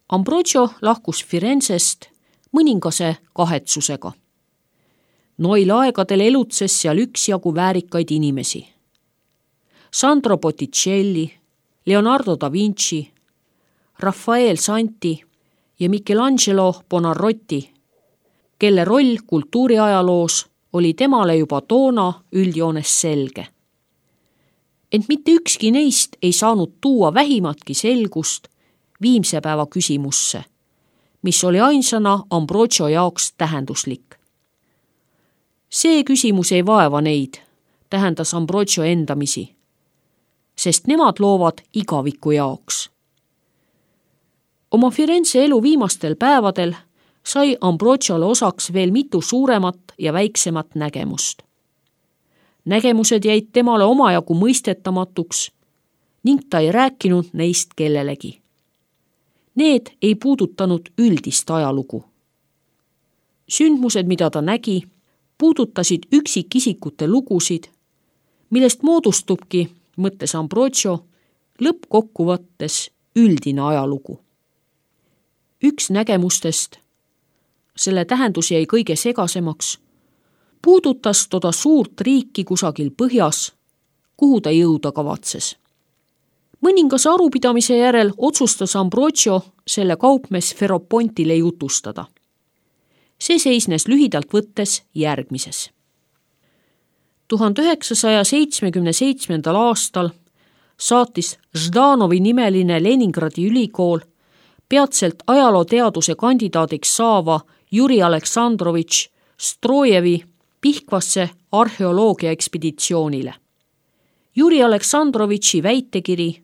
Ambrogio lahkus Firenzest mõningase kahetsusega. Noil aegadel elutses seal üksjagu väärikaid inimesi. Sandro Botticelli, Leonardo da Vinci, Raffaele Santi ja Michelangelo Buonarroti, kelle roll kultuuriajaloos oli temale juba toona üldjoones selge. Ent mitte ükski neist ei saanud tuua vähimatki selgust viimse päeva küsimusse, mis oli ainsana Ambrogio jaoks tähenduslik. See küsimus ei vaeva neid, tähendas Ambrogio endamisi, sest nemad loovad igaviku jaoks. Oma Firenze elu viimastel päevadel sai Ambrogiole osaks veel mitu suuremat ja väiksemat nägemust. Nägemused jäid temale omajagu mõistetamatuks ning ta ei rääkinud neist kellelegi. Need ei puudutanud üldist ajalugu. Sündmused, mida ta nägi, puudutasid üksikisikute lugusid, millest moodustubki, mõtles Ambrogio, lõppkokkuvõttes üldine ajalugu. Üks nägemustest, selle tähendus jäi kõige segasemaks, puudutas toda suurt riiki kusagil põhjas, kuhu ta jõuda kavatses. Mõningase arupidamise järel otsustas Ambrogio selle kaupmees Ferropontile jutustada. See seisnes lühidalt võttes järgmises. 1977. aastal saatis Ždanovi nimeline Leningradi ülikool peatselt ajalooteaduse kandidaadiks saava Juri Aleksandrovitš Strojevi Pihkvasse arheoloogia ekspeditsioonile. Juri Aleksandrovitši väitekiri,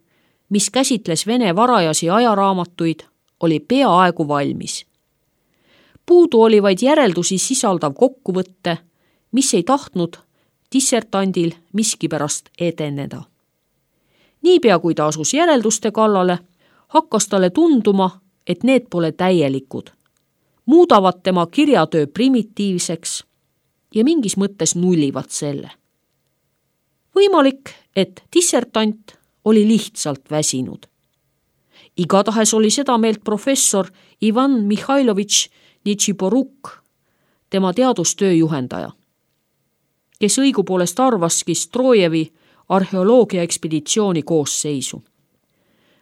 mis käsitles Vene varajasi ajaraamatuid, oli peaaegu valmis. Puudu oli vaid järeldusi sisaldav kokkuvõtte, mis ei tahtnud dissertandil miskipärast edeneda. Niipea kui ta asus järelduste kallale, hakkas talle tunduma, et need pole täielikud, muudavad tema kirjatöö primitiivseks ja mingis mõttes nullivad selle. Võimalik, et dissertant oli lihtsalt väsinud. Igatahes oli seda meelt professor Ivan Mihhailovitš Nitšiporuk, tema teadustöö juhendaja, kes õigupoolest arvaski Strojevi arheoloogia ekspeditsiooni koosseisu.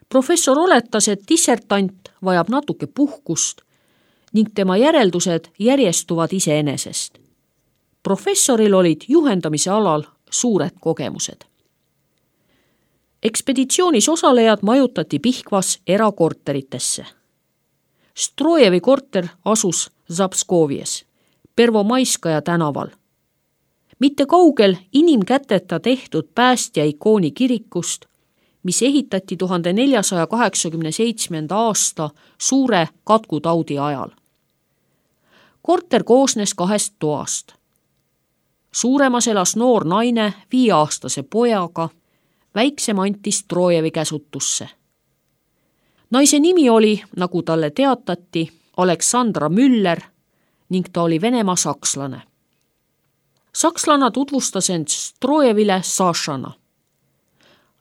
Professor oletas, et dissertant vajab natuke puhkust ning tema järeldused järjestuvad iseenesest. Professoril olid juhendamise alal suured kogemused. Ekspeditsioonis osalejad majutati Pihkvas erakorteritesse. Strojevi korter asus Zapskovies, Pervomaiskaja tänaval. Mitte kaugel inimkäteta tehtud päästja ikooni kirikust, mis ehitati 1487. aasta suure katkutaudi ajal. Korter koosnes 2 toast. Suuremas elas noor naine 5-aastase pojaga, väiksem anti Strojevi käsutusse. Naise nimi oli, nagu talle teatati, Aleksandra Müller ning ta oli Venemaa sakslane. Sakslana tutvustas end Strojevile Sašana.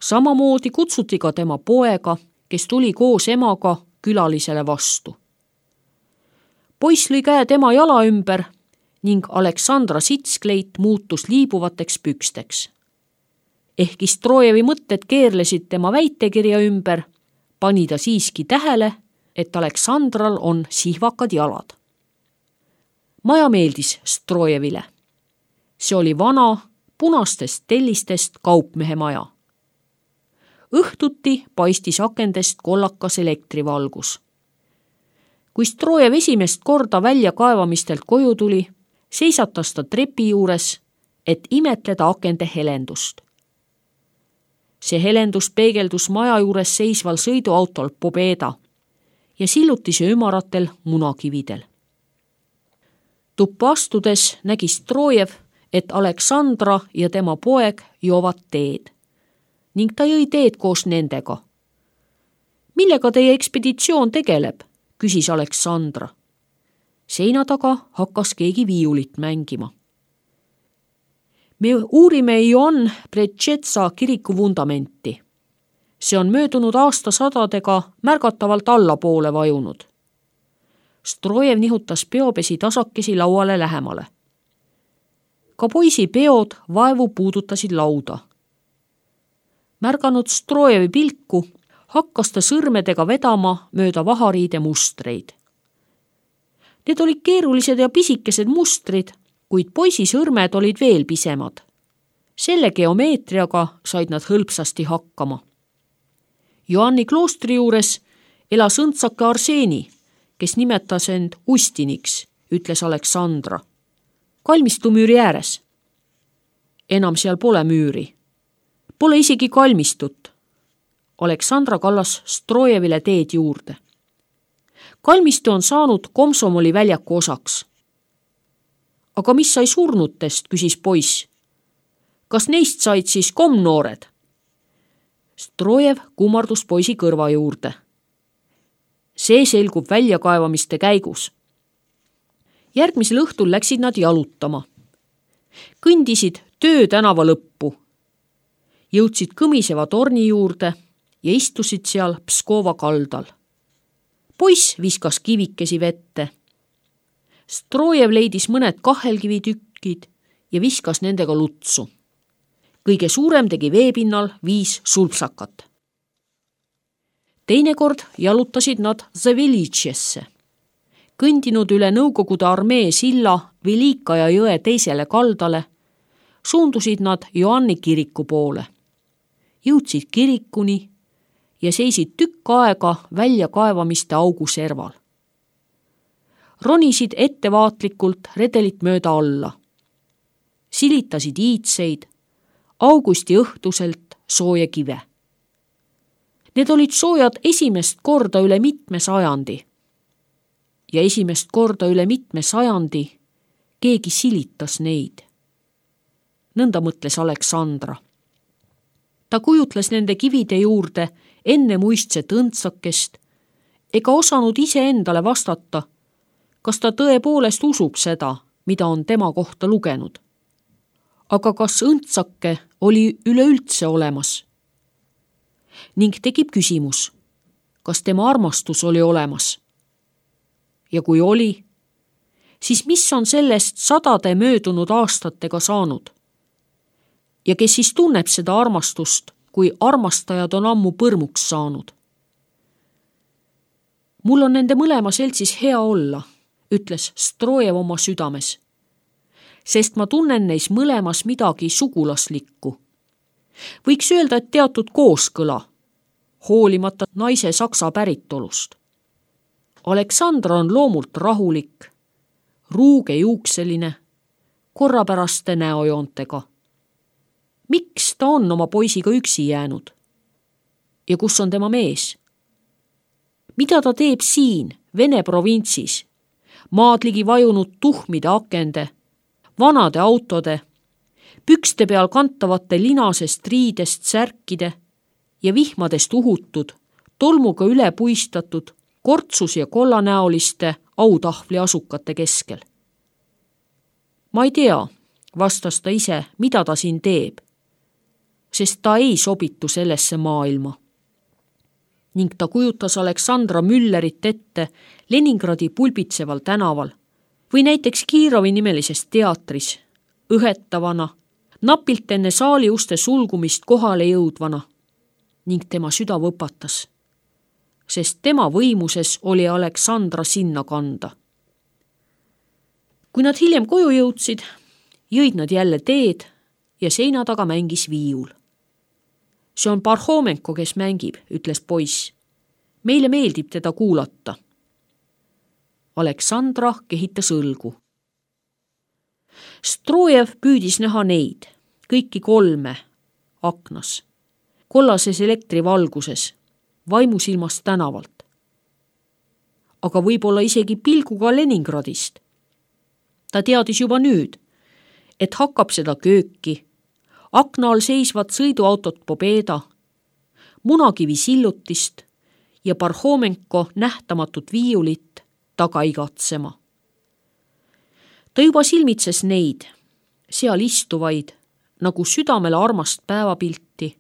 Samamoodi kutsuti ka tema poega, kes tuli koos emaga külalisele vastu. Poiss lõi käe tema jala ümber ning Aleksandra sitskleit muutus liibuvateks püksteks. Ehkki Strojevi mõtted keerlesid tema väitekirja ümber, pani ta siiski tähele, et Aleksandral on sihvakad jalad. Maja meeldis Strojevile. See oli vana, punastest tellistest kaupmehe maja. Õhtuti paistis akendest kollakas elektrivalgus. Kui Strojev esimest korda väljakaevamistelt koju tuli, seisatas ta trepi juures, et imetleda akende helendust. See helendus peegeldus maja juures seisval sõiduautol Pobeda ja sillutise ümaratel munakividel. Tuppa astudes nägi Strojev, et Aleksandra ja tema poeg joovad teed ning ta jõi teed koos nendega. Millega teie ekspeditsioon tegeleb, küsis Aleksandra. Seina taga hakkas keegi viiulit mängima. Me uurime Ioann Pretšetsa kiriku vundamenti. See on möödunud aastasadadega märgatavalt allapoole vajunud. Strojev nihutas peopesi tasakesi lauale lähemale. Ka poisi peod vaevu puudutasid lauda. Märganud Strojevi pilku, hakkas ta sõrmedega vedama mööda vahariide mustreid. Need olid keerulised ja pisikesed mustrid, kuid poisi sõrmed olid veel pisemad. Selle geomeetriaga said nad hõlpsasti hakkama. Joanni kloostri juures elas õndsake Arseeni, kes nimetas end Ustiniks, ütles Aleksandra. Kalmistu müüri ääres. Enam seal pole müüri. Pole isegi kalmistut. Aleksandra kallas Strojevile teed juurde. Kalmistu on saanud Komsomoli väljaku osaks. Aga mis sai surnutest, küsis poiss. Kas neist said siis komnoored? Strojev kummardus poisi kõrva juurde. See selgub väljakaevamiste käigus. Järgmisel õhtul läksid nad jalutama. Kõndisid Töö tänava lõppu. Jõudsid kõmiseva torni juurde ja istusid seal Pskova kaldal. Poiss viskas kivikesi vette. Strojev leidis mõned kahelkivitükkid ja viskas nendega lutsu. Kõige suurem tegi veepinnal 5 sulpsakat. Teinekord jalutasid nad Zavelitšesse. Kõndinud üle Nõukogude armee silla Velikaja jõe teisele kaldale, suundusid nad Joanni kiriku poole. Jõudsid kirikuni ja seisid tükk aega väljakaevamiste augu serval. Ronisid ettevaatlikult redelit mööda alla. Silitasid iitseid, augusti õhtuselt sooja kive. Need olid soojad esimest korda üle mitme sajandi. Ja esimest korda üle mitme sajandi keegi silitas neid. Nõnda mõtles Aleksandra. Ta kujutles nende kivide juurde enne muistset õndsakest ega osanud ise endale vastata, kas ta tõepoolest usub seda, mida on tema kohta lugenud. Aga kas õndsake oli üleüldse olemas? Ning tekib küsimus, kas tema armastus oli olemas? Ja kui oli, siis mis on sellest 100 möödunud aastatega saanud? Ja kes siis tunneb seda armastust, kui armastajad on ammu põrmuks saanud? Mul on nende mõlema seltsis hea olla, ütles Strojev oma südames, sest ma tunnen neis mõlemas midagi sugulaslikku. Võiks öelda, et teatud kooskõla, hoolimata naise saksa päritolust. Aleksandra on loomult rahulik, ruuge juukseline, korrapäraste näojoontega. Miks ta on oma poisiga üksi jäänud? Ja kus on tema mees? Mida ta teeb siin, Vene provintsis, maadligi vajunud tuhmide akende, vanade autode, pükste peal kantavate linasest riidest särkide ja vihmadest uhutud, tolmuga üle puistatud, kortsus ja kollanäoliste autahvli asukate keskel? Ma ei tea, vastas ta ise, mida ta siin teeb, sest ta ei sobitu sellesse maailma. Ning ta kujutas Aleksandra Müllerit ette Leningradi pulbitseval tänaval või näiteks Kiirovi nimelises teatris, õhetavana, napilt enne saali uste sulgumist kohale jõudvana, ning tema süda võpatas, sest tema võimuses oli Aleksandra sinna kanda. Kui nad hiljem koju jõudsid, jõid nad jälle teed ja seina taga mängis viiul. See on Parhomenko, kes mängib, ütles poiss. Meile meeldib teda kuulata. Aleksandra kehitas õlgu. Strojev püüdis näha neid, kõiki 3 aknas, kollases elektrivalguses, vaimusilmast tänavalt. Aga võib-olla isegi pilguga Leningradist. Ta teadis juba nüüd, et hakkab seda kööki, akna all seisvat sõiduautot Pobeda, munakivi sillutist ja Parhomenko nähtamatut viiulit taga igatsema. Ta juba silmitses neid, seal istuvaid, nagu südamele armast päevapilti,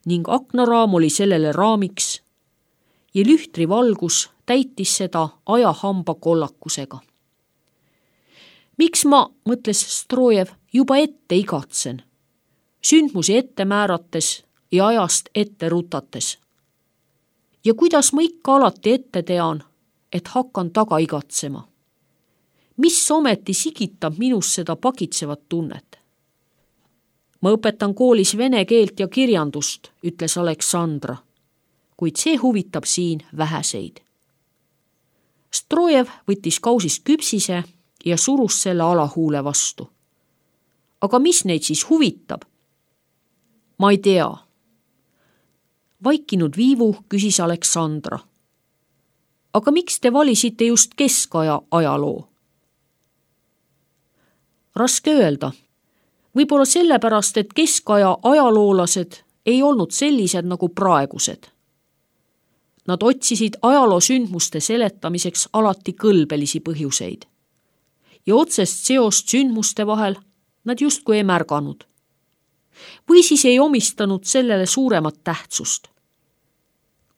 ning aknaraam oli sellele raamiks ja lühtri valgus täitis seda ajahamba kollakusega. Miks ma, mõtles Strojev, juba ette igatsen, sündmusi ette määrates ja ajast ette rutates? Ja kuidas ma ikka alati ette tean, et hakkan taga igatsema? Mis ometi sigitab minus seda pakitsevat tunnet? Ma õpetan koolis vene keelt ja kirjandust, ütles Aleksandra, kuid see huvitab siin väheseid. Strojev võttis kausist küpsise ja surus selle alahuule vastu. Aga mis neid siis huvitab? Ma ei tea. Vaikinud viivu küsis Aleksandra. Aga miks te valisite just keskaja ajaloo? Raske öelda. Võib-olla sellepärast, et keskaja ajaloolased ei olnud sellised nagu praegused. Nad otsisid ajaloosündmuste seletamiseks alati kõlbelisi põhjuseid. Ja otsest seost sündmuste vahel nad justkui ei märganud. Või siis ei omistanud sellele suuremat tähtsust.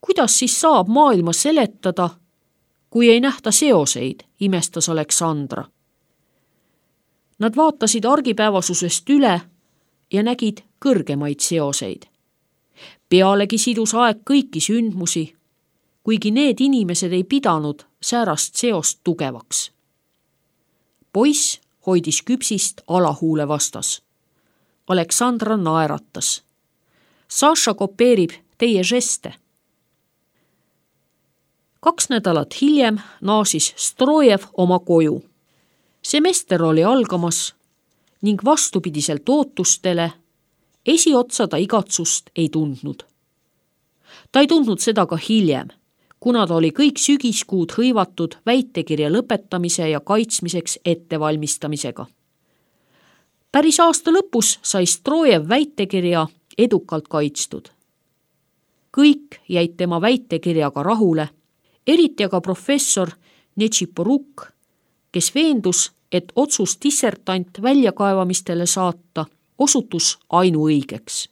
Kuidas siis saab maailma seletada, kui ei nähta seoseid, imestas Aleksandra. Nad vaatasid argipäevasusest üle ja nägid kõrgemaid seoseid. Pealegi sidus aeg kõiki sündmusi, kuigi need inimesed ei pidanud säärast seost tugevaks. Poiss hoidis küpsist alahuule vastas. Aleksandra naeratas. Saša kopeerib teie žeste. 2 nädalat hiljem naasis Strojev oma koju. Semester oli algamas ning vastupidiselt ootustele esiotsa ta igatsust ei tundnud. Ta ei tundnud seda ka hiljem, kuna ta oli kõik sügiskuud hõivatud väitekirja lõpetamise ja kaitsmiseks ettevalmistamisega. Päris aasta lõpus sai Strojev väitekirja edukalt kaitstud. Kõik jäid tema väitekirjaga rahule, eriti aga professor Netšiporuk, kes veendus, et otsus dissertant väljakaevamistele saata osutus ainuõigeks.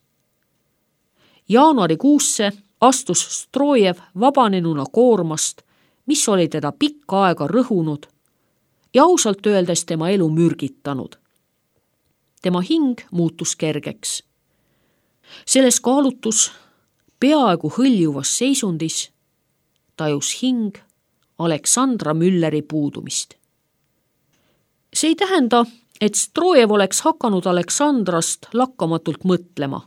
Jaanuarikuusse astus Strojev vabanenuna koormast, mis oli teda pikka aega rõhunud ja ausalt öeldes tema elu mürgitanud. Tema hing muutus kergeks. Selles kaalutus, peaaegu hõljuvas seisundis, tajus hing Aleksandra Mülleri puudumist. See ei tähenda, et Strojev oleks hakanud Aleksandrast lakkamatult mõtlema.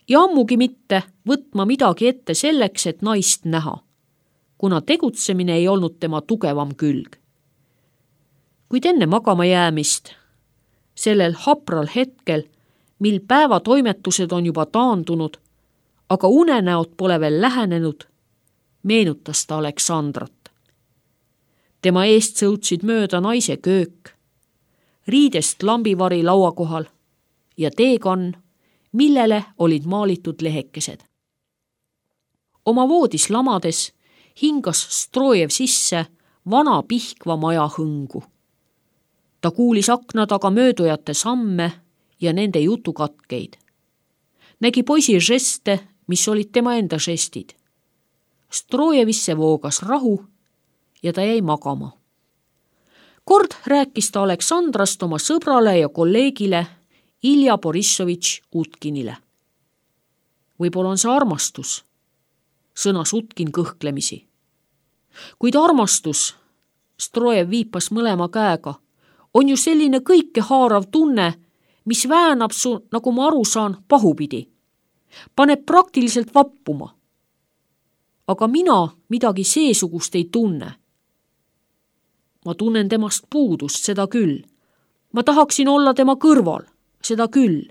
Ja ammugi mitte võtma midagi ette selleks, et naist näha, kuna tegutsemine ei olnud tema tugevam külg. Kuid enne magama jäämist, sellel hapral hetkel, mil päevatoimetused on juba taandunud, aga unenäod pole veel lähenenud, meenutas ta Aleksandrat. Tema eest sõutsid mööda naise köök, riidest lambivari laua kohal ja teekann, millele olid maalitud lehekesed. Oma voodis lamades hingas Strojev sisse vana pihkva maja hõngu. Ta kuulis akna taga möödujate samme ja nende jutukatkeid. Nägi poisi žeste, mis olid tema enda žestid. Strojevisse voogas rahu ja ta jäi magama. Kord rääkis ta Aleksandrast oma sõbrale ja kolleegile Ilja Borissovitš Utkinile. Võib-olla on see armastus, sõnas Utkin kõhklemisi. Kuid armastus, Strojev viipas mõlema käega, on ju selline kõikehaarav tunne, mis väänab su, nagu ma aru saan, pahupidi. Paneb praktiliselt vappuma. Aga mina midagi seesugust ei tunne. Ma tunnen temast puudust, seda küll. Ma tahaksin olla tema kõrval, seda küll.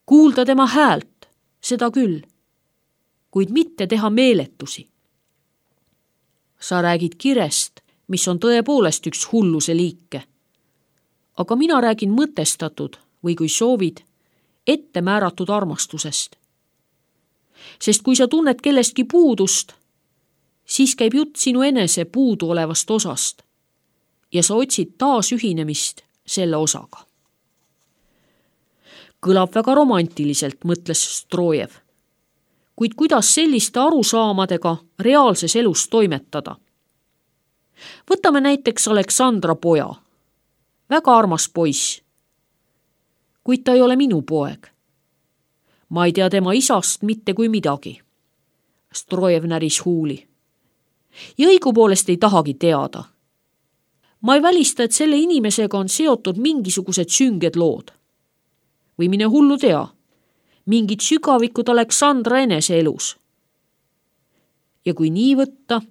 Kuulda tema häält, seda küll. Kuid mitte teha meeletusi. Sa räägid kirest, mis on tõepoolest üks hulluse liike. Aga mina räägin mõtestatud või kui soovid, ette määratud armastusest. Sest kui sa tunned kellestki puudust, siis käib jutt sinu enese puudu olevast osast ja sa otsid taas ühinemist selle osaga. Kõlab väga romantiliselt, mõtles Strojev. kuid kuidas selliste arusaamadega reaalses elus toimetada? Võtame näiteks Aleksandra poja. Väga armas poiss. Kuid ta ei ole minu poeg. Ma ei tea tema isast mitte kui midagi. Strojev näris huuli. Ja õigupoolest ei tahagi teada. Ma ei välista, et selle inimesega on seotud mingisugused sünged lood. Või mine hullu tea, mingid sügavikud Aleksandra enese elus. Ja kui nii võtta,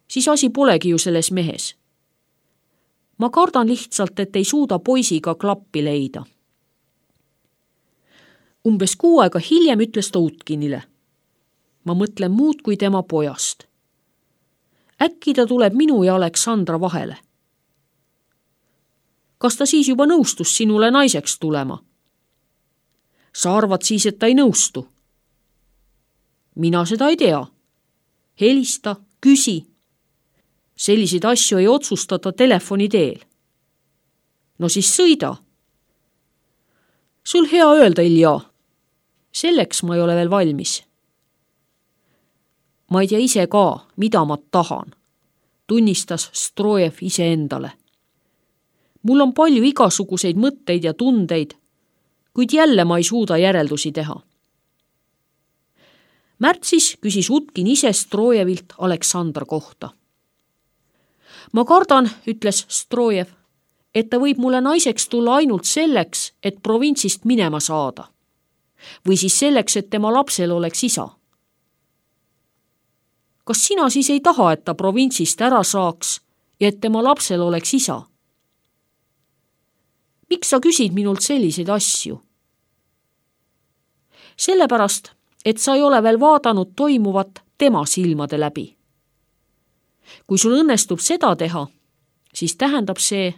siis asi polegi ju selles mehes. Ma kardan lihtsalt, et ei suuda poisiga klappi leida. Umbes 6 aega hiljem ütles ta Utkinile. Ma mõtlen muud kui tema pojast. Äkki ta tuleb minu ja Aleksandra vahele. Kas ta siis juba nõustus sinule naiseks tulema? Sa arvad siis, et ta ei nõustu? Mina seda ei tea. Helista, küsi. Selliseid asju ei otsustata telefoni teel. No siis sõida. Sul hea öelda, Ilja. Selleks ma ei ole veel valmis. Ma ei tea ise ka, mida ma tahan, tunnistas Strojev iseendale. Mul on palju igasuguseid mõtteid ja tundeid, kuid jälle ma ei suuda järeldusi teha. Märtsis küsis Utkin ise Strojevilt Aleksandra kohta. Ma kardan, ütles Strojev, et ta võib mulle naiseks tulla ainult selleks, et provintsist minema saada. Või siis selleks, et tema lapsel oleks isa. Kas sina siis ei taha, et ta provintsist ära saaks ja et tema lapsel oleks isa? Miks sa küsid minult selliseid asju? Sellepärast, et sa ei ole veel vaadanud toimuvat tema silmade läbi. Kui sul õnnestub seda teha, siis tähendab see,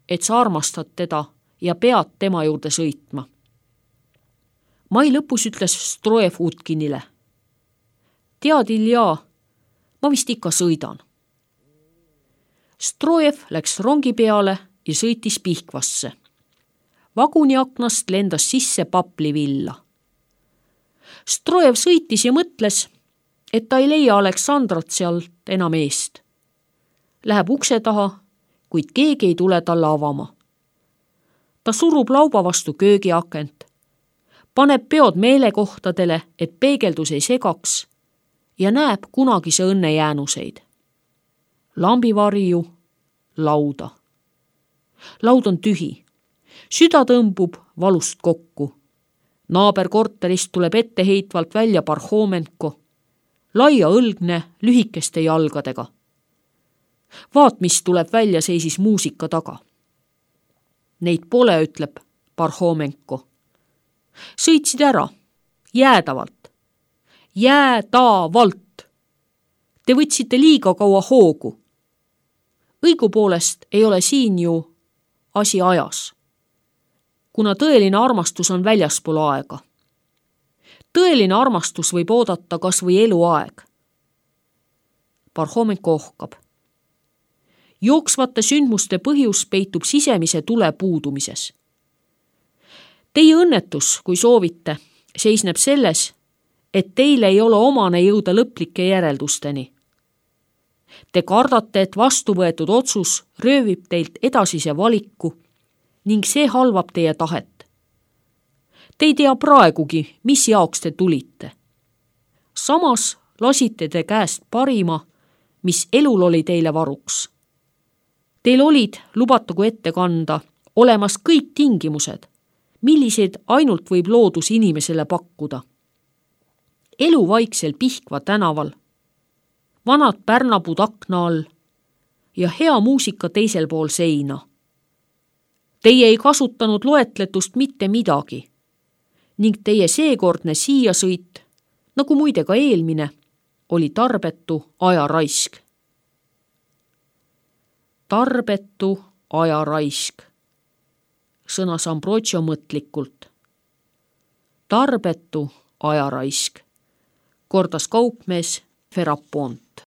et sa armastad teda ja pead tema juurde sõitma. Mai lõpus ütles Strojev Utkinile. Tead, Ilja, ma vist ikka sõidan. Strojev läks rongi peale ja sõitis Pihkvasse. Vaguni aknast lendas sisse paplivilla. Strojev sõitis ja mõtles, et ta ei leia Aleksandrat sealt enam eest. Läheb ukse taha, kuid keegi ei tule talle avama. Ta surub lauba vastu köögiakent, paneb peod meelekohtadele, et peegeldus ei segaks ja näeb kunagise õnne jäänuseid. Lambivarju, lauda. Laud on tühi. Süda tõmbub valust kokku. Naaberkorterist tuleb etteheitvalt välja Parhomenko, laia õlgne, lühikeste jalgadega. Vaat, mis tuleb välja, seisis muusika taga. Neid pole, ütleb Parhomenko. Sõitsid ära, jäädavalt. Jäädavalt. Te võtsite liiga kaua hoogu. Õigupoolest ei ole siin ju asi ajas, kuna tõeline armastus on väljaspool aega. Tõeline armastus võib oodata kas või eluaeg. Parhomenko ohkab. Jooksvate sündmuste põhjus peitub sisemise tule puudumises. Teie õnnetus, kui soovite, seisneb selles, et teile ei ole omane jõuda lõplike järeldusteni. Te kardate, et vastuvõetud otsus röövib teilt edasise valiku ning see halvab teie tahet. Te ei tea praegugi, mis jaoks te tulite. Samas lasite te käest parima, mis elul oli teile varuks. Teil olid, lubatagu ette kanda, olemas kõik tingimused, milliseid ainult võib loodus inimesele pakkuda. Elu vaiksel Pihkva tänaval, vanad pärnapuud akna all ja hea muusika teisel pool seina. Teie ei kasutanud loetletust mitte midagi ning teie seekordne siia sõit, nagu muide ka eelmine, oli tarbetu ajaraisk. Tarbetu ajaraisk, sõnas Ambrogio mõtlikult. Tarbetu ajaraisk, kordas kaupmees Ferapont.